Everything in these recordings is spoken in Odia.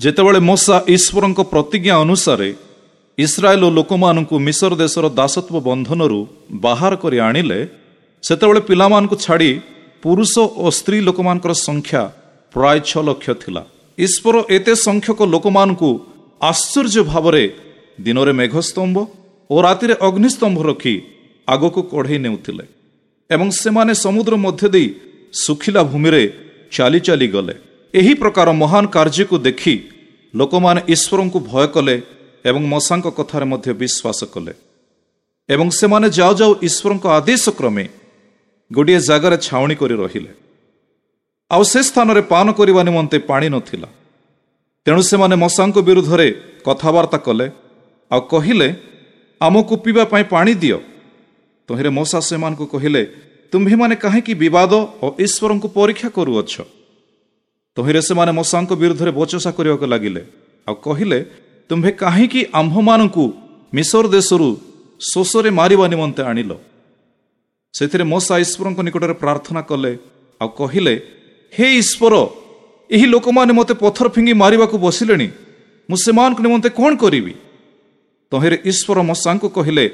ଯେତେବେଳେ ମୋଶା ଈଶ୍ୱରଙ୍କ ପ୍ରତିଜ୍ଞା ଅନୁସାରେ ଇସ୍ରାଏଲ ଲୋକମାନଙ୍କୁ ମିଶର ଦେଶର ଦାସତ୍ୱ ବନ୍ଧନରୁ ବାହାର କରି ଆଣିଲେ, ସେତେବେଳେ ପିଲାମାନଙ୍କୁ ଛାଡ଼ି ପୁରୁଷ ଓ ସ୍ତ୍ରୀ ଲୋକମାନଙ୍କର ସଂଖ୍ୟା ପ୍ରାୟ 6 ଲକ୍ଷ ଥିଲା। ଈଶ୍ୱର ଏତେ ସଂଖ୍ୟକ ଲୋକମାନଙ୍କୁ ଆଶ୍ଚର୍ଯ୍ୟ ଭାବରେ ଦିନରେ ମେଘସ୍ତମ୍ଭ ଓ ରାତିରେ ଅଗ୍ନିସ୍ତମ୍ଭ ରଖି ଆଗକୁ କଢ଼େଇ ନେଉଥିଲେ ଏବଂ ସେମାନେ ସମୁଦ୍ର ମଧ୍ୟ ଦେଇ ଶୁଖିଲା ଭୂମିରେ ଚାଲି ଚାଲି ଗଲେ। ଏହି ପ୍ରକାର ମହାନ କାର୍ଯ୍ୟକୁ ଦେଖି ଲୋକମାନେ ଈଶ୍ୱରଙ୍କୁ ଭୟ କଲେ ଏବଂ ମୋଶାଙ୍କ କଥାରେ ମଧ୍ୟ ବିଶ୍ୱାସ କଲେ ଏବଂ ସେମାନେ ଯାଉ ଯାଉ ଈଶ୍ୱରଙ୍କ ଆଦେଶ କ୍ରମେ ଗୋଟିଏ ଜାଗାରେ ଛାଉଣି କରି ରହିଲେ। ଆଉ ସେ ସ୍ଥାନରେ ପାନ କରିବା ନିମନ୍ତେ ପାଣି ନଥିଲା। ତେଣୁ ସେମାନେ ମୋଶାଙ୍କ ବିରୁଦ୍ଧରେ କଥାବାର୍ତ୍ତା କଲେ ଆଉ କହିଲେ, ଆମକୁ ପିଇବା ପାଇଁ ପାଣି ଦିଅ। ତହିଁରେ ମୋଶା ସେମାନଙ୍କୁ କହିଲେ, ତୁମ୍ଭେମାନେ କାହିଁକି ବିବାଦ ଓ ଈଶ୍ୱରଙ୍କୁ ପରୀକ୍ଷା କରୁଅଛ? ତହିଁରେ ସେମାନେ ମୋଶାଙ୍କ ବିରୁଦ୍ଧରେ ବଚସା କରିବାକୁ ଲାଗିଲେ ଆଉ କହିଲେ, ତୁମ୍ଭେ କାହିଁକି ଆମ୍ଭମାନଙ୍କୁ ମିଶର ଦେଶରୁ ଶୋଷରେ ମାରିବା ନିମନ୍ତେ ଆଣିଲ? ସେଥିରେ ମୋଶା ଈଶ୍ୱରଙ୍କ ନିକଟରେ ପ୍ରାର୍ଥନା କଲେ ଆଉ କହିଲେ, ହେ ଈଶ୍ୱର, ଏହି ଲୋକମାନେ ମୋତେ ପଥର ଫିଙ୍ଗି ମାରିବାକୁ ବସିଲେଣି, ମୁଁ ସେମାନଙ୍କ ନିମନ୍ତେ କ'ଣ କରିବି? ତହିଁରେ ଈଶ୍ୱର ମୋଶାଙ୍କୁ କହିଲେ,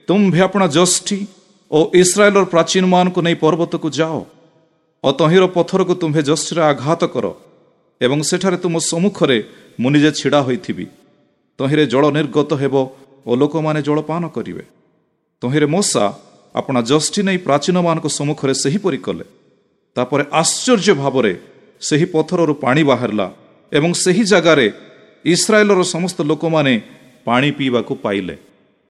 ତୁମ୍ଭେ ଆପଣା ଯଷ୍ଟି ଓ ଇସ୍ରାଏଲର ପ୍ରାଚୀନମାନଙ୍କୁ ନେଇ ପର୍ବତକୁ ଯାଅ ଓ ତହିଁର ପଥରକୁ ତୁମ୍ଭେ ଯଷ୍ଟିରେ ଆଘାତ କର ଏବଂ ସେଠାରେ ତୁମ ସମ୍ମୁଖରେ ମୁଁ ନିଜେ ଛିଡ଼ା ହୋଇଥିବି। ତହିଁରେ ଜଳ ନିର୍ଗତ ହେବ ଓ ଲୋକମାନେ ଜଳପାନ କରିବେ। ତହିଁରେ ମୋଶା ଆପଣା ଯଷ୍ଟି ନେଇ ପ୍ରାଚୀନମାନଙ୍କ ସମ୍ମୁଖରେ ସେହିପରି କଲେ। ତାପରେ ଆଶ୍ଚର୍ଯ୍ୟ ଭାବରେ ସେହି ପଥରରୁ ପାଣି ବାହାରିଲା ଏବଂ ସେହି ଜାଗାରେ ଇସ୍ରାଏଲର ସମସ୍ତ ଲୋକମାନେ ପାଣି ପିଇବାକୁ ପାଇଲେ।